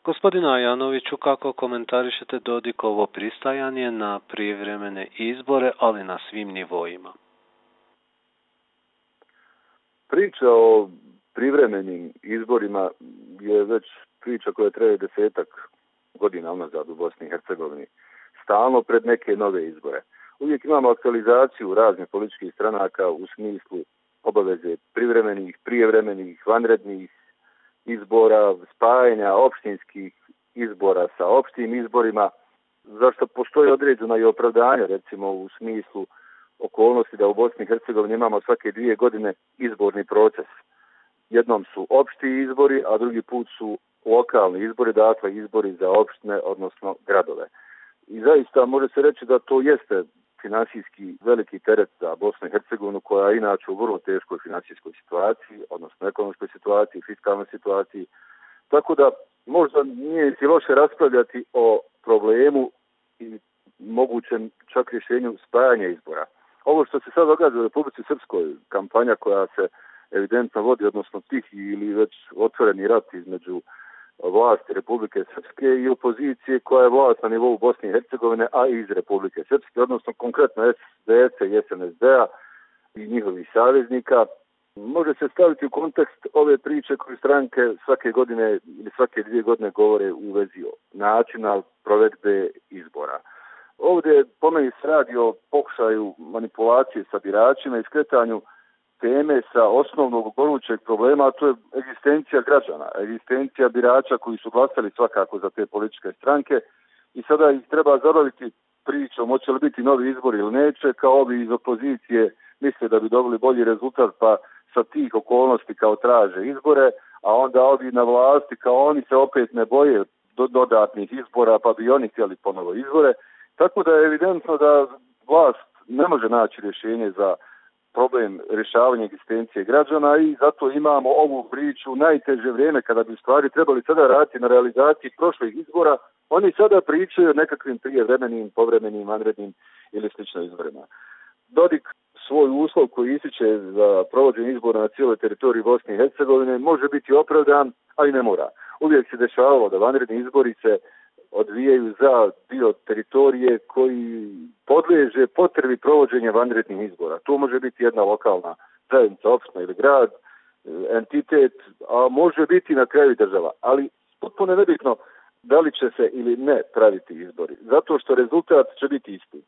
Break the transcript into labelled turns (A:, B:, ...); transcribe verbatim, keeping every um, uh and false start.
A: Gospodine Ajanoviću, kako komentarišete Dodikovo pristajanje na prijevremene izbore, ali na svim nivoima?
B: Priča o privremenim izborima je već priča koja traje desetak godina unazad u Bosni i Hercegovini. Stalno pred neke nove izbore. Uvijek imamo aktualizaciju raznih političkih stranaka u smislu obaveze privremenih, prijevremenih, vanrednih izbora, spajanja opštinskih izbora sa opštim izborima, zašto postoji određena i opravdanja, recimo u smislu okolnosti da u Bosni i Hercegovini imamo svake dvije godine izborni proces. Jednom su opšti izbori, a drugi put su lokalni izbori, dakle izbori za opštine, odnosno gradove. I zaista može se reći da to jeste finansijski veliki teret za Bosnu i Hercegovinu, koja je inače u vrlo teškoj finansijskoj situaciji, odnosno ekonomskoj situaciji, fiskalnoj situaciji. Tako da možda nije si loše raspravljati o problemu i mogućem čak rješenju spajanja izbora. Ovo što se sad događa u Republici Srpskoj, kampanja koja se evidentno vodi, odnosno tihi ili već otvoreni rat između vlasti Republike Srpske i opozicije koja je vlast na nivou Bosne i Hercegovine, a i iz Republike Srpske, odnosno konkretno es de es-a i es en es de-a i njihovih saveznika, može se staviti u kontekst ove priče koje stranke svake godine ili svake dvije godine govore u vezi načina provedbe izbora. Ovdje po meni se radi o pokušaju manipulacije sa biračima i skretanju teme sa osnovnog gorućeg problema, a to je egzistencija građana, egzistencija birača koji su glasali svakako za te političke stranke i sada ih treba zabaviti pričom hoće li biti novi izbori ili neće, kao ovi iz opozicije misle da bi dobili bolji rezultat pa sa tih okolnosti kao traže izbore, a onda ovi na vlasti kao oni se opet ne boje do dodatnih izbora pa bi oni htjeli ponovo izbore. Tako da je evidentno da vlast ne može naći rješenje za problem rješavanja egzistencije građana i zato imamo ovu priču u najteže vrijeme kada bi stvari trebali sada raditi na realizaciji prošlih izbora. Oni sada pričaju o nekakvim prijevremenim, povremenim, vanrednim ili sličnim izborima. Dodik svoj uslov koji ističe za provođenje izbora na cijeloj teritoriji Bosne i Hercegovine može biti opravdan, ali ne mora. Uvijek se dešavalo da vanredni izbori se odvijaju za dio teritorije koji podliježe potrebi provođenja vanrednih izbora. To može biti jedna lokalna zajednica, opština ili grad, entitet, a može biti na kraju država. Ali potpuno nebitno da li će se ili ne praviti izbori, zato što rezultat će biti isti.